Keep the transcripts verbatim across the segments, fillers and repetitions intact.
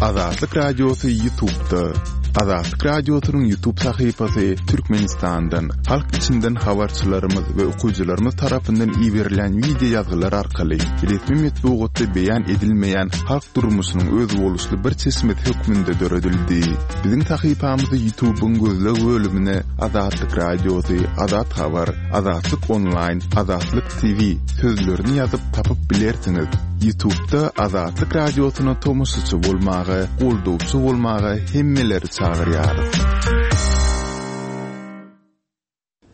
Azatlyk Radiosy YouTube'da. Azatlyk Radiosynyň YouTube sahypasy Türkmenistandan, halk içinden habarçylarymyz we okyjylarymyz tarapyndan iberilen wideo ýazgylar arkaly resmi metbugatda beýan edilmeýän halk durmuşynyň özboluşly bir çeşmesi hökmünde döredildi. Biziň sahypamyzy YouTube'yň gözleg bölümine Azatlyk Radiosy, Azat Habar, Azatlyk Online, Azatlyk T V sözlerini ýazyp tapyp bilersiňiz. YouTube'da Azatlyk Radiosyna tomaşaçy bolmaga, goldawçy bolmaga hemmeleri çagyrýarys.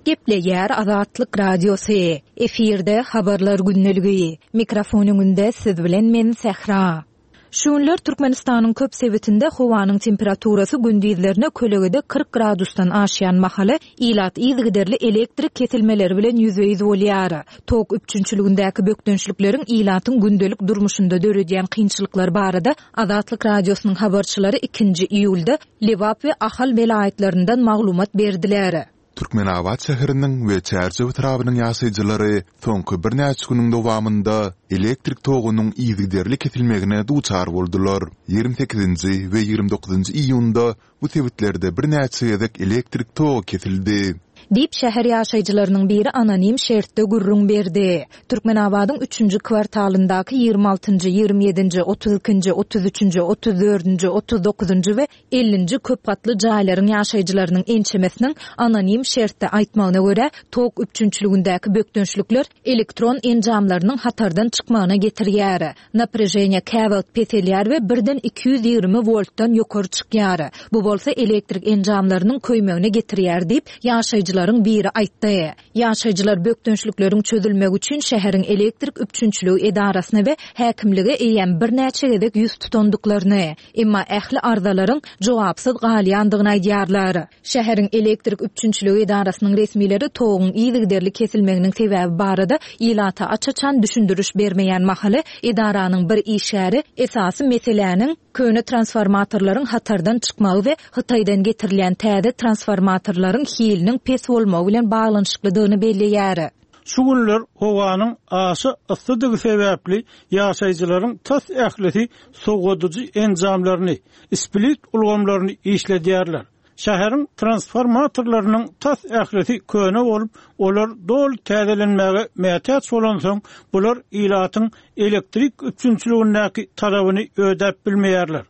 Gepleýär Azatlyk Radiosy. Efirde habarlar gündeligi. Mikrofon öňünde siz bilen men Sähra. Şu günler Türkmenistanyň köp sebitinde howanyň temperaturasy gündizlerine kölegede kyrk gradusdan aşýan mahaly ilat yzygiderli elektrik kesilmeleri bilen ýüzbe-ýüz bolýar. Tok üpjünçiligindäki bökdençlikleriň ilatyň gündelik durmuşynda döredýän kynçylyklar barada Azatlyk Radiosynyň habarçylary ikinji iýulda Lebap we Ahal welaýatlaryndan maglumat berdiler. Türkmenabat şäheriniň we Çärjew etrabynyň ýaşaýjylary soňky birnäçe günüň dowamynda elektrik togunyň yzygiderli kesilmegine duçar boldular. Ýigrimi sekizinji we ýigrimi dokuzynjy iýunda bu sebitlerde birnäçe gezek elektrik togy kesildi. Diýip şäher ýaşaýjylarynyň biri anonim şertde gürrüň berdi. Türkmenabadyň üçünji kwartalyndaky ýigrimi altynjy, ýigrimi ýedinji, otuz ikinji, otuz üçünji, otuz dördünji, otuz dokuzynjy we ellinji köp gatly jaýlaryň ýaşaýjylarynyň ençemesiniň anonim şertde aýtmagyna görä, tok üpjünçiligindäki bökdençlikler elektron enjamlarynyň hatardan çykmagyna getirýär. Naprejeniýe käwagt peselýär we birden iki ýüz ýigrimi voltdan ýokary çykýar. Bu bolsa elektrik enjamlarynyň köýmegine getirýär diýip, ýaşaýjylaryň biri aýtdy. Ýaşaýjylar bökdençlikleriň çözülmegi üçin şäheriň elektrik üpjünçiligi edarasyna we häkimlige eýýäm birnäçe gezek ýüz tutandyklaryny, emma ähli arzalaryň jogapsyz galýandygyny aýdýarlar. Şäheriň elektrik üpjünçiligi edarasynyň resmileri toguň yzygiderli kesilmeginiň sebäbi barada ilata aç-açan düşündiriş bermeýän mahaly edaranyň bir işgäri esasy meseläniň köne transformatorlaryň hatardan çykmagy we Hytaýdan getirilýän täze transformatorlaryň hiliniň pes bolmagy bilen baglanyşyklydygyny belleýär. Şu günler howanyň aşa yssydygy sebäpli ýaşaýjylaryň tas ählisi sowadyjy enjamlaryny, split ulgamlaryny işledýärler. Şäheriň transformatorlarynyň tas ählisi köne bolup, olar doly täzelenmäge mätäç bolansoň, bular ilatyň elektrik üpjünçiligindäki talabyny ödäp bilmeýärler.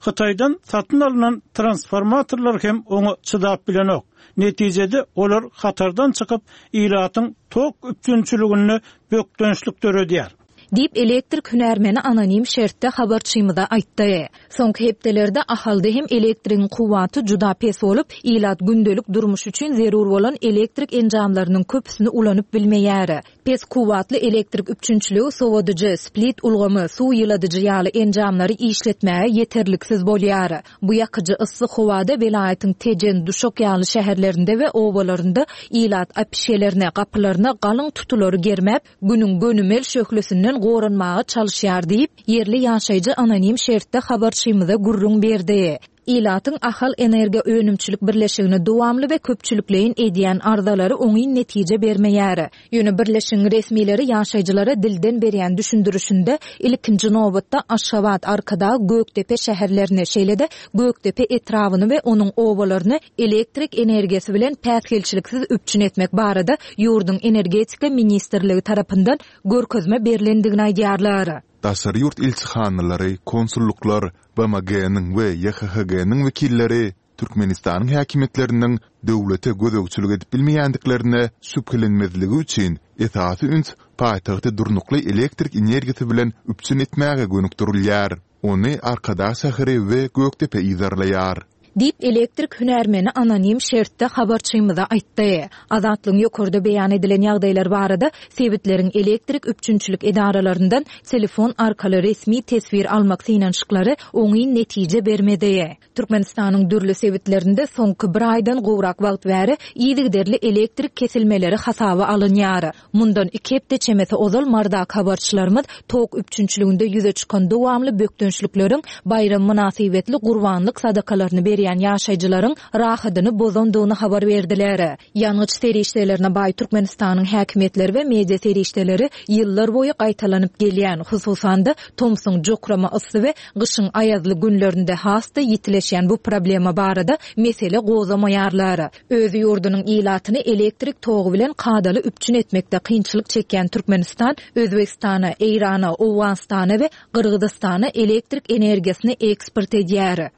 Hytaýdan satyn alynan transformatorlar hem oňa çydap bilenok. Netijede olar hatardan çykyp, ilatyň tok üpjünçiliginde bökdençlik döredýär. Diýip elektrik hünärmeni anonim şertde habarçymyza aýtdy. Soňky hepdelerde Ahalda hem elektrigiň kuwwaty juda pes bolup, ilat gündelik durmuş üçin zerur bolan elektrik enjamlarynyň köpüsini ulanyp bilmeýär. Pes kuwwatly elektrik üpjünçiligi sowadyjy, split ulgamy, suw ýyladyjy ýaly enjamlary işletmäge ýeterliksiz bolýar. Bu ýakyjy yssy howada welaýatyň Tejen, Duşak ýaly şäherlerinde we obalarynda ilat apişelerine, gapylaryna galyň tutulary germäp, günüň gönümel şöhlesinden goranmaga çalyşýar diýip, ýerli ýaşaýjy anonim şertde habarçymyza gürrüň berdi. Ilatyň Ahal Energiýa Önümçilik Birleşigine dowamly we köpçülikleýin edýän arzalary oňyn netije bermeýär. Ýöne birleşigiň resmileri ýaşaýjylara dilden berýän düşündirişinde ilkinji nobatda Aşgabat, Arkadag, Gökdepe şäherlerini, şeýle-de Gökdepe etrabyny we onuň obalaryny elektrik energiýasy bilen päsgelçiliksiz üpjün etmek barada ýurduň Energetika ministrligi tarapyndan görkezme berlendigini aýdýarlar. Daşary ýurt ilçihanalary, konsulluklar, B M G-niň we Y H H G-niň wekilleri Türkmenistanyň häkimiýetleriniň döwlete gözegçilik edip bilmeýändiklerine şübhelenmezligi üçin esasy üns paýtagty durnukly elektrik energiýasy bilen üpjün etmäge gönükdirilýär. Ony Arkadag şäheri we Gökdepe yzarlaýar. Diýip elektrik hünärmeni anonim şertde habarçymyza aýtdy. Azatlygyň ýokarda beýan edilen ýagdaýlar barada sebitleriň elektrik üpjünçilik edaralaryndan telefon arkaly resmi teswir almak synanyşyklary oňyn netije bermedi. Türkmenistanyň dürli sebitlerinde soňky bir aýdan gowrak wagt bäri yzygiderli elektrik kesilmeleri hasaba alynýar. Mundan iki hepde çemesi ozal Mardak habarçylarymyz tok üpjünçiliginde ýüze çykan dowamly bökdençlikleriň baýram mynasybetli gurbanlyk sadakalaryny berýän geçirýän ýaşaýjylaryň rahadyny bozandygyny habar berdiler. Ýangyç serişdelerine baý Türkmenistanyň häkimiýetleri we media serişdeleri ýyllar boýy gaýtalanyp gelýän, hususan-da tomsuň jokrama yssy we gyşyň aýazly günlerinde has-da ýitileşýän bu problema barada mesele gozamaýarlar. Öz ýurdunyň ilatyny elektrik togy bilen kadaly üpjün etmekde kynçylyk çekýän Türkmenistan Özbegistana, Eýrana, Owganystana we Gyrgyzystana elektrik energiýasyny eksport edýär.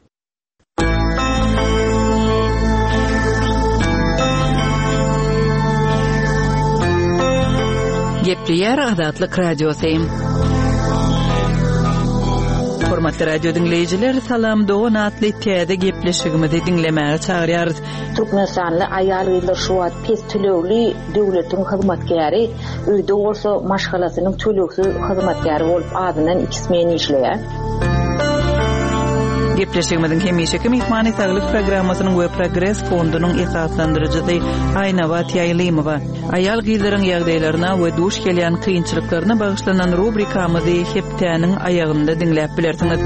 Gepleýär Azatlyk Radiosy. Hormatly radio diňleýjiler, Salam dogan atly täze gepleşigimizi diňlemäge çagyrýarys. Türkmenistanly aýal-gyzlar şu wagt pes tölegli döwletiň hyzmatkäri, öýde bolsa maşgalasynyň tölegsiz hyzmatkäri bolup azyndan iki smen işleýär. Gepleşigimiziň hemişeki myhmany Saglyk programmasynyň we Progres fondunyň esaslandyryjysy Aýnabat Ýaýlymowa. Aýal-gyzlaryň ýagdaýlaryna we duş gelýän kynçylyklaryna bagyşlanan rubrikamyzy hepdäniň aýagynda diňläp bilersiňiz.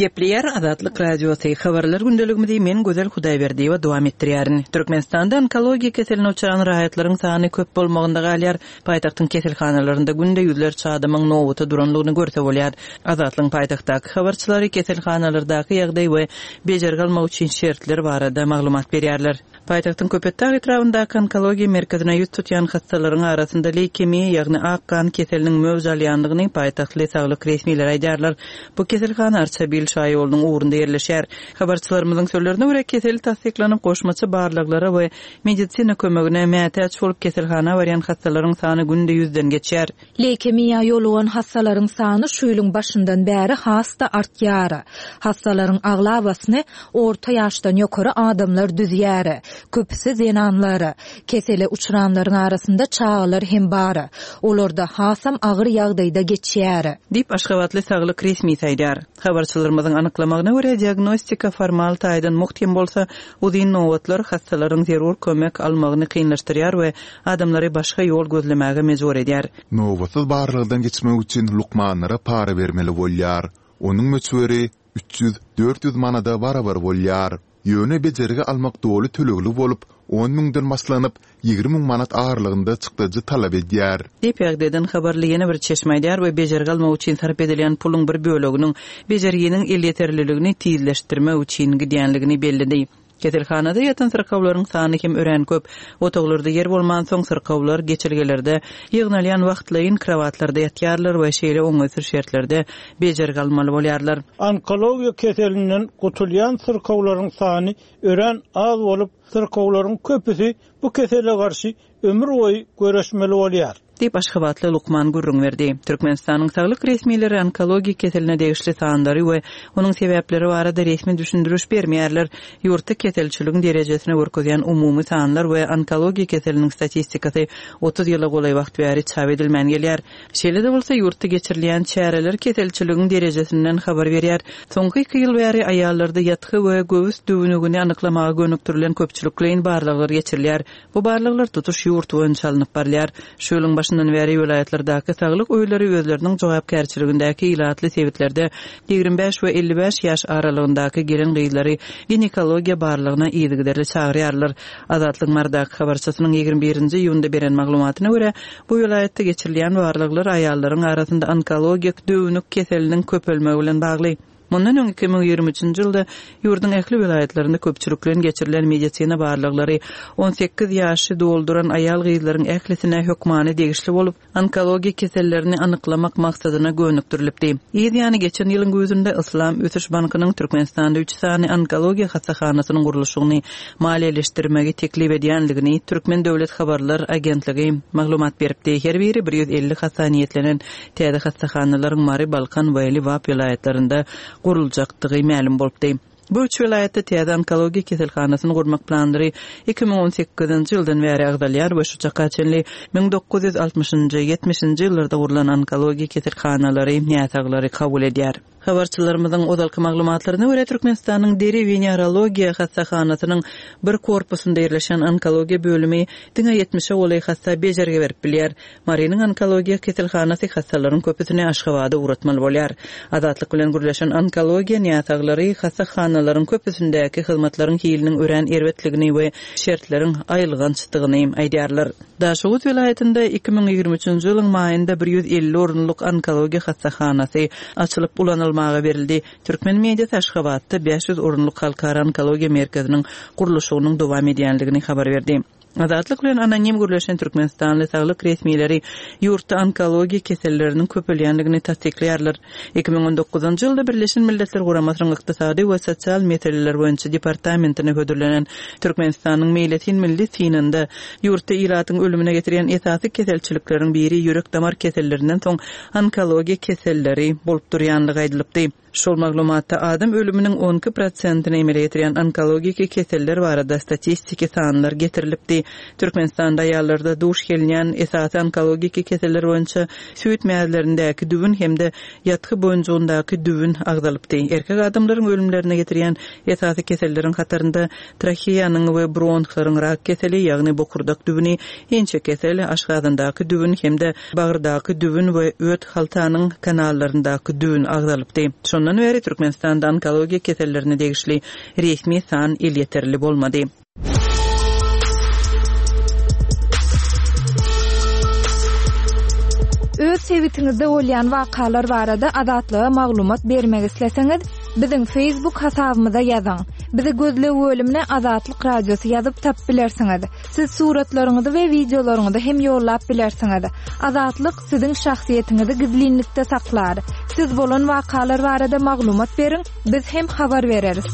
Gepleýär Azatlyk Radiosy. Habarlar gündeligimizi men Gözel Hudaýberdiýewa dowam etdirýärin. Türkmenistanda onkologiýa keseline uçran raýatlaryň sany köp bolmagynda galýar. Paýtagtyň keselhanalarynda günde ýüzlerçe adamyň nobata duranlygyny görse bolýar. Azatlygyň paýtagtdaky habarçylary keselhanalardaky ýagdaý we bejergi almak üçin şertler barada maglumat berýärler. Paýtagtyň Köpetdag etrabyndaky onkologiýa merkezine ýüz tutýan hassalaryň arasynda leýkemiýa, ýagny ak gan keseliniň möwj alýandygyny paýtagtly saglyk resmileri aýdýarlar. Bu keselhana Arçabil şaýolunyň ugrunda ýerleşýär. Habarçylarymyzyň sözlerine görä kesel tassyklanyp goşmaça barlaglara we medisina kömegine mätäç bolup keselhana barýan hassalaryň sany günde ýüzden geçýär. Leýkemiýa ýolugan hassalaryň sany şu ýylyň başyndan bäri has-da artýar. Hassalaryň aglabasyny orta ýaşdan ýokary adamlar düzýär. Köpüsi zenanlar. Kesele uçranlaryň arasynda çagalar hem bar. Olarda hasam agyr ýagdaýda geçýär. Diýip Aşgabatly saglyk resmisi aýdýar. Habarçylarymyzyň anyklamagyna görä diagnostika formal taýdan mugt hem bolsa, uzyn nobatlar hassalaryň zerur kömek almagyny kynlaşdyrýar we adamlary başga ýol gözlemäge mejbur edýär. Nobatsyz barlagdan geçmek üçin lukmanlara para bermeli bolýar. Onuň möçberi üç ýüz dört ýüz manada barabar bolýar. Ýöne bejergi almak doly tölegli bolup, on müňden başlanyp, ýigrimi müň manat aralygynda çykdajy talap edýär. Diýip ýagdaýdan habarly ýene bir çeşme aýdýar we bejergi almak üçin sarp edilýän puluň bir böleginiň bejerginiň elýeterliligini tizleşdirmek üçin gidýänligini belledi. Keselhanada ýatan syrkawlaryň sany hem örän köp. Otaglarda ýer bolmansoň syrkawlar geçelgelerde ýygnalýan wagtlaýyn krovatlarda ýatýarlar we şeýle oňaýsyz şertlerde bejergi almaly bolýarlar. Onkologiýa keselinden gutulýan syrkawlaryň sany örän az bolup, syrkawlaryň köpüsi bu kesele garşy ömür boýy görüşmeli bolýar. Diýip Aşgabatly lukman gürrüň berdi. Türkmenistanyň saglyk resmileri onkologiýa keseline degişli sanlary we onuň sebäpleri barada resmi düşündiriş bermeýärler. Ýurtda keselçiligiň derejesini görkezýän umumy sanlar we onkologiýa keseliniň statistikasy otuz ýyla golaý wagt bäri çap edilmän gelýär. Şeýle-de bolsa ýurtda geçirilýän çäreler keselçiligiň derejesinden habar berýär. Soňky iki ýyl bäri aýallarda ýatgy we göwüs düwnügini anyklamaga gönükdirilen köpçülikleýin barlaglar geçirilýär. Bu barlaglar tutuş ýurt boýunça alnyp barylýar. Şu ýylyň başyndan bäri welaýatlardaky saglyk öýleri özleriniň jogapkärçiligindäki ilatly sebitlerde ýigrimi bäş we elli bäş ýaş aralygyndaky gelen gyzlary ginekologiýa barlagyna yzygiderli çagyrýarlar. Azatlyk Mardaky habarçysynyň ýigrimi birinji iýunda beren maglumatyna görä, bu welaýatda geçirilýän barlaglar aýallaryň arasynda onkologik düwnük keseliniň köpelmegi bilen bagly. Mundan öň iki müň ýigrimi üçünji ýylda ýurduň ähli welaýatlarynda köpçülikleýin geçirilen medisina barlaglary on sekiz ýaşy dolduran aýal gyzlaryň ählisine hökmany degişli bolup, onkologiýa kesellerini anyklamak maksadyna gönükdirilipdi. Yz ýany geçen ýylyň güýzünde Islam Ösüş Bankynyň Türkmenistanda üç sany onkologiýa hassahanasynyň gurluşygyny maliýeleşdirmegi teklip edýänligini Türkmen Döwlet Habarlar Agentligi maglumat beripdi. Her biri bir ýüz elli hassa niýetlenen täze hassahanalaryň Mary, Balkan we Lebap welaýatlarynda guruljakdygy mälim bolupdy. Bu üç welaýatda täze onkologiýa keselhanasyny gurmak planlary iki müň on sekizinji ýyldan bäri agzalýar we şu çaka çenli müň dokuz ýüz altmyşynjy, ýetmişinji ýyllarda gurlan onkologiýa keselhanalary näsaglary kabul edýär. Habarçylarymyzyň ozalky maglumatlaryna görä Türkmenistanyň deri wenerologiýa hassahanasynyň bir korpusynda ýerleşen onkologiýa bölümi diňe ýetmişe golaý hassa bejergi berip bilýär. Marynyň onkologiýa keselhanasy hassalaryň köpüsini Aşgabada ugratmaly bolýar. Azatlyk bilen gürleşen onkologiýa näsaglary hassahanalaryň köpüsindäki hyzmatlaryň hiliniň örän erbetligini we şertleriň aýylgançdygyny aýdýarlar. Daşoguz welaýatynda iki müň ýigrimi üçünji ýylyň maýynda bir ýüz elli orunlyk onkologiýa hassahanasy açylyp ulanylmaga berildi. Türkmen mediasy Aşgabatda bäş ýüz orunlyk halkara onkologiýa merkeziniň gurluşygynyň dowam edýänligini habar berdi. Azatlyk bilen anonim gürleşen Türkmenistanly saglyk resmileri ýurtda onkologiýa keselleriniň köpelýänligini tassyklaýarlar. Iki müň on dokuzynjy ýylda Birleşen Milletler Guramasynyň Ykdysady we Sosial Meseleler boýunça departamentine hödürlenen Türkmenistanyň meýletin milli synynda ýurtda ilatyň ölümine getirýän esasy keselçilikleriň biri ýürek-damar kesellerinden soň onkologiýa keselleri bolup durýanlygy aýdylypdy. Şol maglumatda adam ölüminiň on iki prosentini emele getirýän onkologiki keseller barada statistiki sanlar getirilipdi. Türkmenistanda aýallarda duş gelinýän esasy onkologiki keseller boýunça süýt mäzlerindäki düwün hem-de ýatgy boýunjugyndaky düwün agzalypdy. Erkek adamlaryň ölümlerine getirýän esasy keselleriň hatarynda traheýanyň we bronhlaryň rak keseli, ýagny bokurdak düwüni, inçe kesel, aşgazandaky düwün hem-de bagyrdaky düwün we öt haltanyň kanallaryndaky düwün agzalypdy. Şondan bäri Türkmenistanda onkologiýa kesellerine degişli resmi san elýeterli bolmady. Öz sebitiňizde bolýan wakalar barada Azatlyga maglumat bermek isleseňiz, biziň Facebook hasabymyza ýazyň. Bizi gözleg bölümine Azatlyk Radiosy ýazyp tap bilersiňiz. Siz suratlaryňyzy we wideolaryňyzy hem ýollap bilersiňiz. Azatlyk siziň şahsyýetiňizi gizlinlikde saklar. Siz bolan wakalar barada maglumat beriň, biz hem habar bereris.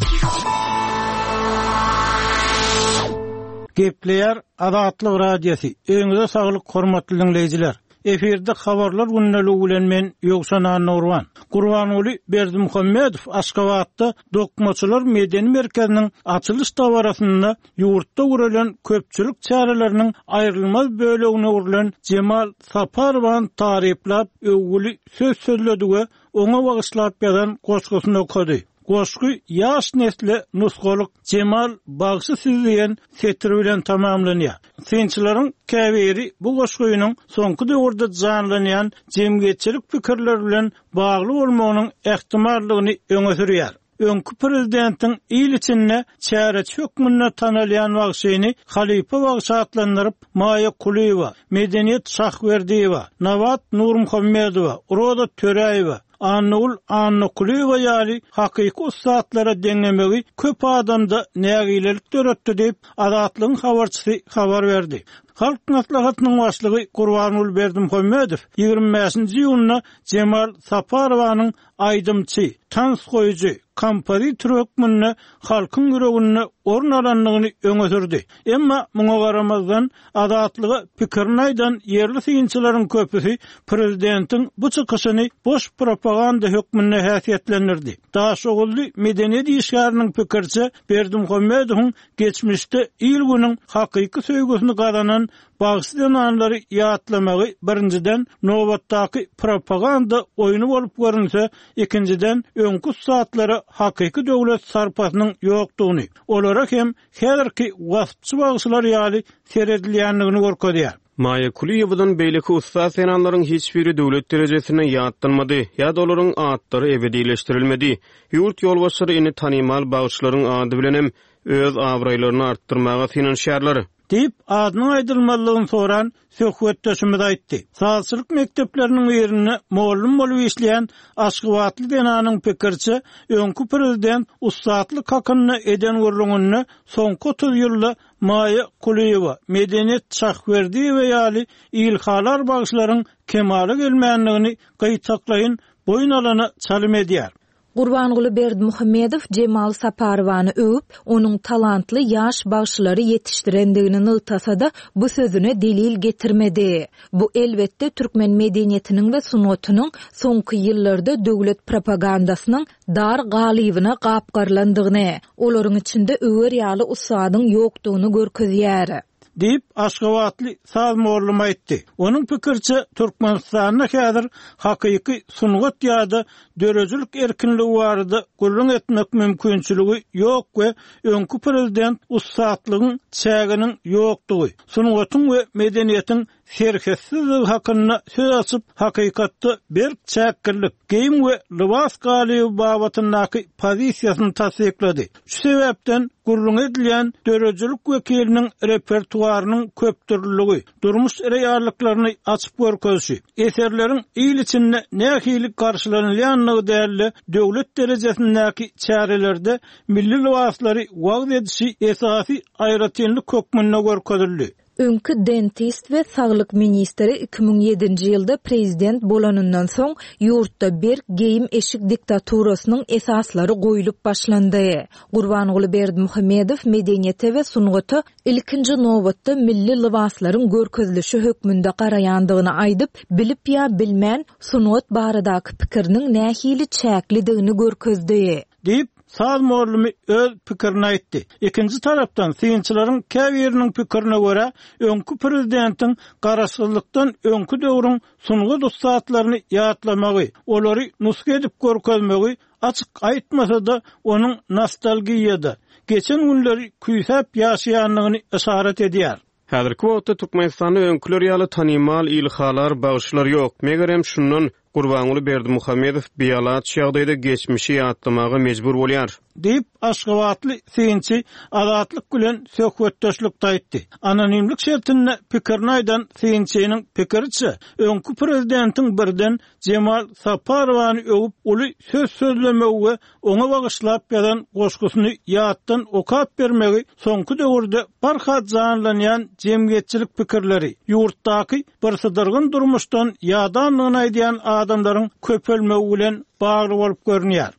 Gepleýär Azatlyk Radiosy. Öňüňize saglyk hormatly dinleýjiler. Efirde habarlar günlügi bilen men Ýowşan Annurwan. Gurbanguly Berdimuhamedow Aşgabatda Dokmaçylar medeni merkeziniň açylyş dabarasynda ýurtda guralan köpçülik çäreleriniň aýrylmaz bölegine öwrülen Jemal Saparowan taryplap öwgüli söz sözledi we oňa bagyşlap ýazan goşgusyny okady. Goşgy ýaş nesle nusgalyk Jemal bagşy siz diýen setir bilen tamamlanýar. Synçylaryň käbiri bu goşgynyň soňky döwürde janlanýan jemgyýetçilik pikirleri bilen bagly bolmagynyň ähtimallygyny öňe sürýär. Öňki prezidentiň il içinde çäreçi hökmünde tanalýan bagşyny Halypa bagşy atlandyryp Maýa Kulyýewa, Medeniýet Şahwerdiýewa, Nabat Nurmuhammedowa, Roza Töräýewa, Annagül Annakulyýewa ýaly hakyky ussatlara deňemegi köp adamda nägilelik döretdi diýip Azatlygyň habarçysy habar berdi. Halk maslahatynyň başlygy Gurbanguly Berdimuhamedow ýigrimi bäşinji iýunda Jemal Saparowanyň aýdymçy, tans goýujy, kompozitor hökmünde halkyň ýüreginde orun alandygyny öňe sürdi. Emma muňa garamazdan Azatlyga pikirini aýdan ýerli synçylaryň köpüsi prezidentiň bu çykyşyny boş propaganda hökmünde häsiýetlendirdi. Daşoguzly medeniýet işgäriniň pikirçe Berdimuhamedowyň geçmişde il günüň hakyky söýgüsini gazanan bagşy zenanlary ýatlamagy birinjiden nobatdaky propaganda oýny bolup görünse, ikinjiden öňkü saatlara hakyky döwlet sarpasynyň ýokdugyny, olara hem häzirki waspçy bagşylar ýaly seredilýändigini görkezýär. Maýa Kulyýewadan beýleki ussat zenanlaryň hiç biri döwlet derejesinde ýatlanmady ýa-da olaryň atlary ebedileşdirilmedi. Ýurt ýolbaşçylary indi tanymal bagşylaryň ady bilen hem öz abraýlaryny artdyrmaga synanyşýarlar. Diýip, adynyň aýdylmazlygyny soran söhbetdeşimiz aýtdy. Sazçylyk mekdepleriniň birinde mollum bolup işleýän Aşgabatly zenanyň pikirçe, öňki prezident ussatlyk hakynda eden gürrüňinde soňky otuz ýylda Maýa Kulyýewa, Medeniýet Şahwerdiýewa ýaly ilhalar bagşylaryň kemala gelmändigini gyýtaklaýyn boýun alana çalym edýär. Gurbanguly Berdimuhamedow Jemal Saparowany öwüp, onuň talantly ýaş bagşylary ýetişdirendigini nygtasa-da bu sözüne delil getirmedi. Bu elbetde türkmen medeniýetiniň we sungatynyň soňky ýyllarda döwlet propagandasynyň dar galybyna gapgarlandygyny, olaryň içinde öwer ýaly ussadyň ýokdugyny görkezýär. Diýip, aşgabatly saz mugallymy aýtdy. Onuň pikiriçe, Türkmenistanda häzir hakyky sungat ýa-da döredijilik erkinligi barada gürrüň etmek mümkinçiligi ýok we öňki prezident ussatlygyň çäginiň ýokdugy, sungatyň we medeniýetiň serhetsizdigi hakynda söz açyp, hakykatda berk çäklilik, geýim we lybas galyby babatyndaky pozisiýasyny tassyklady. Şu sebäpden gürrüň edilýän döredijilik wekiliniň repertuarynyň köpdürlüligi, durmuş reallyklaryny açyp görkezişi, eserleriň il içinde nähili garşylanylýandygy däl-de, döwlet derejesindäki çärelerde milli lybaslary wagyz edişi esasy aýratynlyk hökmünde görkezildi. Öňki dentist we saglyk ministri iki müň ýedinji ýylda prezident bolanyndan soň ýurtda berk geýim-eşik diktaturasynyň esaslary goýlup başlandy. Gurbanguly Berdimuhamedow medeniýete we sungata ilkinji nobatda milli lybaslaryň görkezilişi hökmünde garaýandygyny aýdyp, bilip ýa bilmän sungat baradaky pikiriniň nähili çäklidigini görkezdi. Diýip, saz mugallymy öz pikirini aýtdy. Ikinji tarapdan synçylaryň käbiriniň pikirine görä, öňki prezidentiň garaşsyzlykdan öňki döwrüň sungat ussatlaryny ýatlamagy, olary nusga edip görkezmegi açyk aýtmasa-da, onuň nostalgiýada, geçen günleri küýsäp ýaşaýandygyny yşarat edýär. Häzirki wagtda Türkmenistanda öňküler ýaly tanymal ilhalar bagşylar ýok. Megerem şundan Gurbanguly Berdimuhamedow bialaç ýagdaýda geçmişi ýatlamaga mejbur bolýar. Diýip, aşgabatly synçy Azatlyk bilen söhbetdeşlikde aýtdy. Anonimlik şertinde pikirini aýdan synçynyň pikiriçe, öňki prezidentiň birden Jemal Saparowany öwüp uly söz sözlemegi we oňa bagyşlap ýazan goşgusyny ýatdan okap bermegi soňky döwürde barha janlanýan jemgyýetçilik pikirleri, ýurtdaky birsydyrgyn durmuşdan ýadandygyny aýdýan adamlaryň köpelmegi bilen bagly bolup görünýär.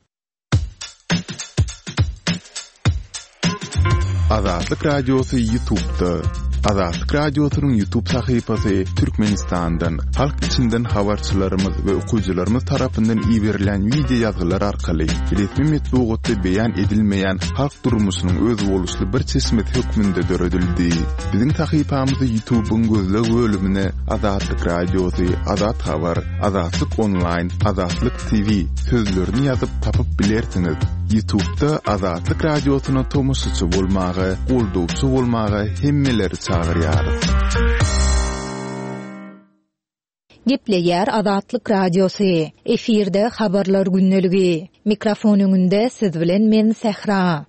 Azatlyk Radiosy YouTube'da. Azatlyk Radiosynyň YouTube sahypasy Türkmenistandan, halk içinden habarçylarymyz we okyjylarymyz tarapyndan iberilen wideo ýazgylar arkaly resmi metbugatda beýan edilmeýän halk durmuşynyň özboluşly bir çeşmesi hökmünde döredildi. Biziň sahypamyzy YouTube'yň gözleg bölümine Azatlyk Radiosy, Azat Habar, Azatlyk Online, Azatlyk T V sözlerini ýazyp tapyp bilersiňiz. YouTube'da Azatlyk Radiosyna tomaşaçy bolmaga, goldawçy bolmaga hemmeleri çagyrýarys. Gepleýär Azatlyk Radiosy. Efirde habarlar gündeligi. Mikrofon öňünde siz bilen men Sähra.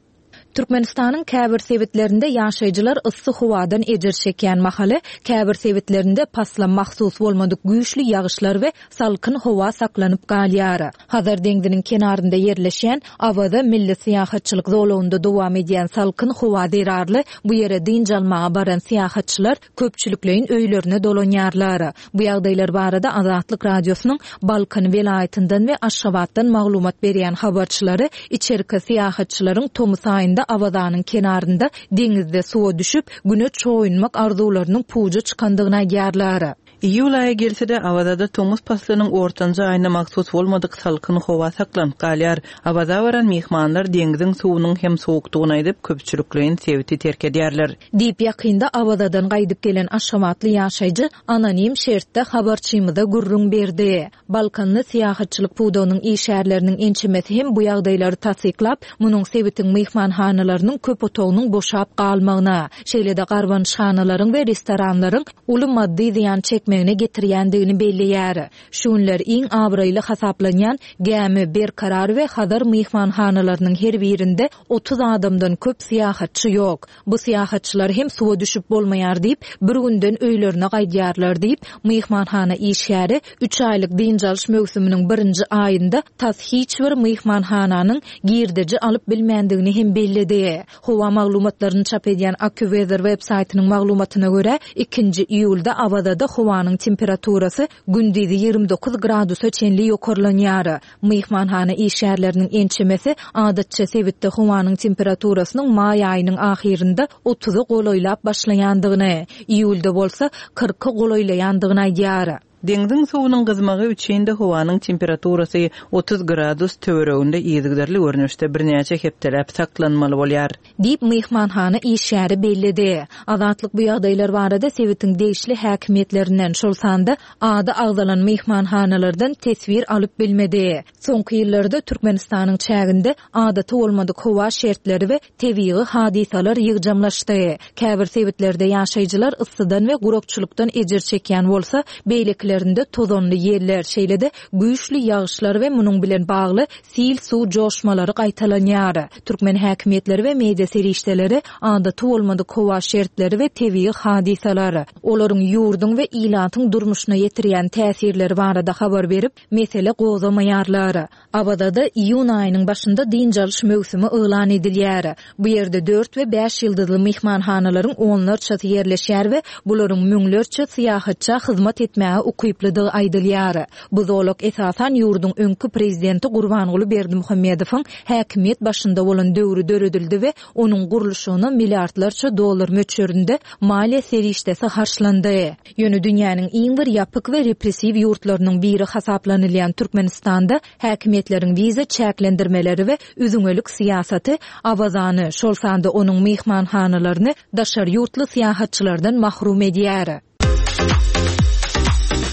Türkmenistanyň käbir sebitlerinde ýaşaýjylar yssy howadan ejir çekýän mahaly, käbir sebitlerinde pasla mahsus bolmadyk güýçli ýagyşlar we salkyn howa saklanyp galýar. Hazar deňziniň kenarynda ýerleşýän Awaza milli syýahatçylyk zolagynda dowam edýän salkyn howa zerarly bu ýere dynç almaga baran syýahatçylar köpçülikleýin öýlerine dolanýarlar. Bu ýagdaýlar barada Azatlyk Radiosynyň Balkan welaýatyndan we Aşgabatdan maglumat berýän habarçylary içerki syýahatçylaryň tomus aýynda Awazanyň kenarynda deňizde suwa düşüp, güne çoýunmak arzuwlarynyň puja çykandygyny aýdýarlar. Iýul aýy gelse-de Awazada tomus paslynyň ortanjy aýyna mahsus bolmadyk salkyn howa saklanyp galýar. Awaza baran myhmanlar deňziň suwunyň hem sowukdygyny aýdyp, köpçülikleýin sebiti terk edýärler. Diýip ýakynda Awazadan gaýdyp gelen Aşgabatly ýaşaýjy anonim şertde habarçymyza gürrüň berdi. Balkanly syýahatçylyk pudagynyň işgärleriniň ençemesi hem bu ýagdaýlary tassyklap, munuň sebitiň myhmanhanalarynyň köp otagynyň boşap galmagyna, şeýle-de garbanyşhanalaryň we restoranlaryň uly maddy zyýan çekmegine getirýändigini belleýär. Şu günler iň abraýly hasaplanýan Gämi, Berkarar we Hazar myhmanhanalarynyň her birinde otuz adamdan köp syýahatçy ýok. Bu syýahatçylar hem suwa düşüp bolmaýar diýip, bir günden öýlerine gaýdýarlar diýip, myhmanhana işgäri üç aýlyk dynç alyş möwsüminiň birinji aýynda tas hiç bir myhmanhananyň girdeji alyp bilmändigini hem belledi. Howa maglumatlaryny çap edýän AccuWeather web saýtynyň maglumatyna görä, ikinji iýulda Awazada howanyň temperaturasy gündizi ýigrimi dokuz gradusa çenli ýokarlanýar. Myhmanhana işgärleriniň ençemesi adatça sebitde howanyň temperaturasynyň maý aýynyň ahyrynda otuza golaýlap başlaýandygyny, iýulda bolsa kyrka golaýlaýandygyny aýdýar. Deňziň suwunyň gyzmagy üçin-de howanyň temperaturasy otuz gradus töwereginde yzygiderli görnüşde birnäçe hepdeläp saklanmaly bolýar. Diýip, myhmanhana işgäri belledi. Azatlyk bu ýagdaýlar barada sebitiň degişli häkimiýetlerinden, şol sanda ady agzalan myhmanhanalardan teswir alyp bilmedi. Soňky ýyllarda Türkmenistanyň çäginde adaty bolmadyk howa şertleri we tebigy hadysalar ýygjamlaşdy. Käbir sebitlerde ýaşaýjylar yssydan we gurakçylykdan ejir çekýän bolsa, beýlekilerinde tozanly ýeller, şeýle-de güýçli ýagyşlar we munuň bilen bagly sil suw joşmalary gaýtalanýar. Türkmen häkimiýetleri we media serişdeleri adaty bolmadyk howa şertleri we tebigy hadysalar, olaryň ýurduň we ilatyň durmuşyna ýetirýän täsirleri barada habar berip, mesele gozamaýarlar. Awazada iýun aýynyň başynda dynç alyş möwsümi yglan edilýär. Bu ýerde dört we bäş ýyldyzly myhmanhanalaryň onlarçasy ýerleşýär we bularyň müňlerçe syýahatça hyzmat etmäge ukyplydygy aýdylýar. Bu zolak esasan ýurduň öňki prezidenti Gurbanguly Berdimuhamedowyň häkimiýet başynda bolan döwri döredildi we onuň gurluşygyna milliardlarça dollar möçberinde maliýe serişdesi harçlandy. Ýöne dünýäniň iň bir ýapyk we repressiw ýurtlarynyň biri hasaplanylýan Türkmenistanda häkimiýetleriň wiza çäklendirmeleri we üzüňelik syýasaty Awazany, şol sanda onuň myhmanhanalaryny daşary ýurtly syýahatçylardan mahrum edýär.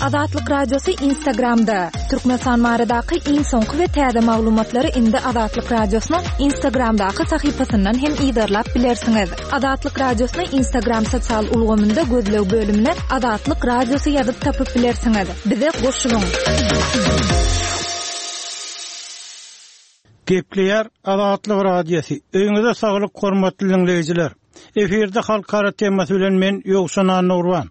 Azatlyk Radiosy Instagramda. Türkmenistan baradaky iň soňky we täze maglumatlary indi Azatlyk Radiosynyň Instagramdaky sahypasyndan hem yzarlap bilersiňiz. Azatlyk Radiosyny Instagram sosial ulgamynda gözleg bölümine Azatlyk Radiosy ýazyp tapyp bilersiňiz. Bize goşulyň. Gepleýär Azatlyk Radiosy. Öýüňize saglyk hormatly dinleýjiler. Efirde halkara temasy bilen men Ýowşan Annurban.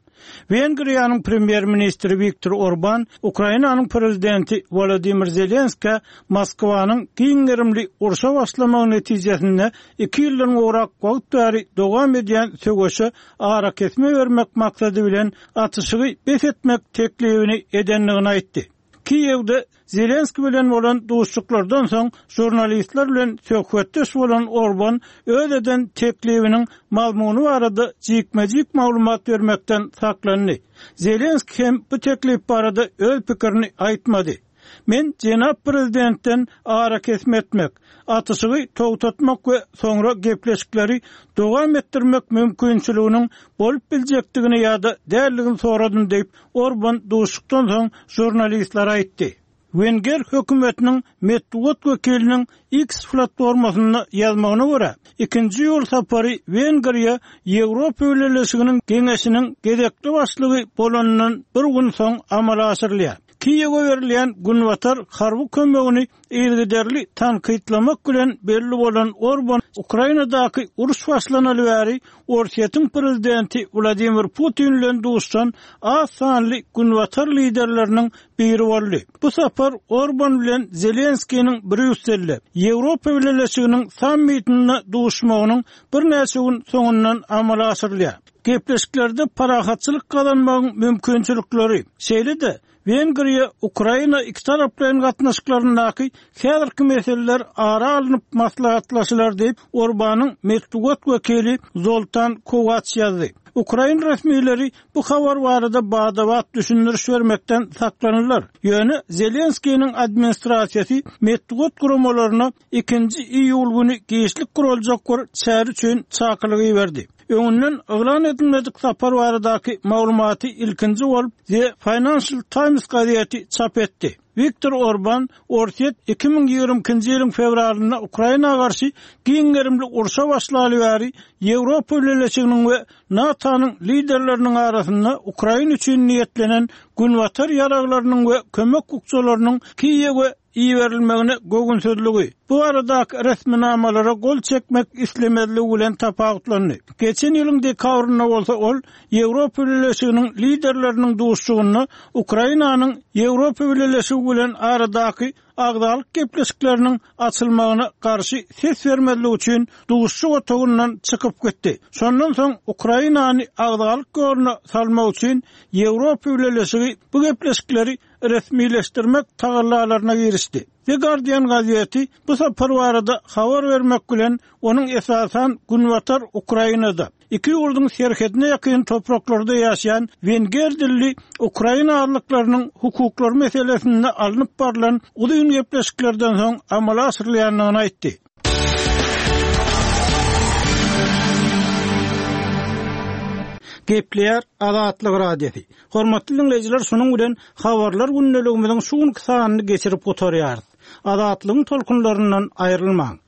Wengriýanyň premýer-ministri Viktor Orban Ukrainanyň prezidenti Volodymyr Zelenska Moskwanyň giň gerimli urşa başlamagy netijesinde iki ýyldan gowrak wagt bäri dowam edýän söweşe arakesme bermek maksady bilen atyşygy bes etmek teklibini edendigini aýtdy. Kiýewde Zelenski bilen bolan duşuşyklardan soň žurnalistler bilen söhbetdeş bolan Orban öz eden teklibiniň mazmuny barada jikme-jik maglumat bermekden saklandy. Zelenski hem bu teklip barada öz pikirini aýtmady. Men jenap prezidentden arakesme etmek, atyşygy togtatmak we soňra gepleşikleri dowam etdirmek mümkinçiliginiň bolup biljekdigini ýa-da däldigini soradym diýip, Orban duşuşykdan soň žurnalistlere aýtdy. Wenger hökümetiniň metbugat wekiliniň X platformasynda ýazmagyna görä, ikinji ýol sapary Wengriýa Ýewropa Bileleşiginiň Geňeşiniň gezekli başlygy bolanyndan bir gün soň amala aşyrylýar. Kiýewe berilýän günbatar harby kömegini yzygiderli tankytlamak bilen belli bolan Orban Ukrainadaky uruş başlanaly bäri Orsýetiň prezidenti Wladimir Putin bilen duşan az sanly günbatar liderleriniň biri boldy. Bu sapar Orban bilen Zelenskiniň Brýusselde Ýewropa Bileleşiginiň sammitinde duşmagynyň birnäçe gün soňundan amala aşyrylýar. Gepleşiklerde parahatçylyk gazanmagyň mümkinçilikleri, şeýle-de Wengriýa Ukraina iki taraplaýyn gatnaşyklaryndaky häzirki meseleler ara alnyp maslahatlaşylar diýip, Orbanyň metbugat wekili Zoltan Kowaç ýazdy. Ukrain resmileri bu habar barada badabat düşündiriş bermekden saklanyrlar. Ýöne Zelenskiniň administrasiýasy metbugat guramalaryna ikinji iýul güni giçlik guraljak bir çäre üçin çakylygy berdi. Öňünden yglan edilmedik sapar baradaky maglumaty ilkinji bolup The Financial Times gazeti çap etdi. Viktor Orban Orsýet iki müň ýigrimi ikinji ýylyň fewralynda Ukraina garşy giň gerimli urşa başlaly bäri Ýewropa Bileleşiginiň we NATO-nyň liderleriniň arasynda Ukraina üçin niýetlenen günbatar ýaraglarynyň we kömek bukjalarynyň Kiýewe iberilmegine göwünsizligi, bu baradaky resminamalara gol çekmek islemezligi bilen tapawutlandy. Geçen ýylyň dekabrynda bolsa ol Ýewropa Bileleşiginiň liderleriniň duşuşygynda Ukrainanyň Ýewropa Bileleşigi bilen aradaky agzalyk gepleşikleriniň açylmagyna garşy ses bermezlik üçin duşuşyk otagyndan çykyp gitdi. Şondan soň Ukrainany agzalyk ýoluna salmak üçin Ýewropa Bileleşigi bu gepleşikleri resmileşdirmek tagallalaryna girişdi. The Guardian gazeti bu sapar barada habar bermek bilen onuň esasan Günbatar Ukrainada, iki ýurduň serhedine ýakyn topraklarda ýaşaýan wenger dilli ukrain azlyklarynyň hukuklary meselesinde alnyp barlan uzyn gepleşiklerden soň amala aşyrylýandygyny aýtdy. Gepleýär Azatlyk Radiosy. Hormatly dinleýjiler, şunuň bilen habarlar gündeligimiziň şu günki sanyny geçirip gutarýarys. Azatlygyň tolkunlaryndan aýrylmaň.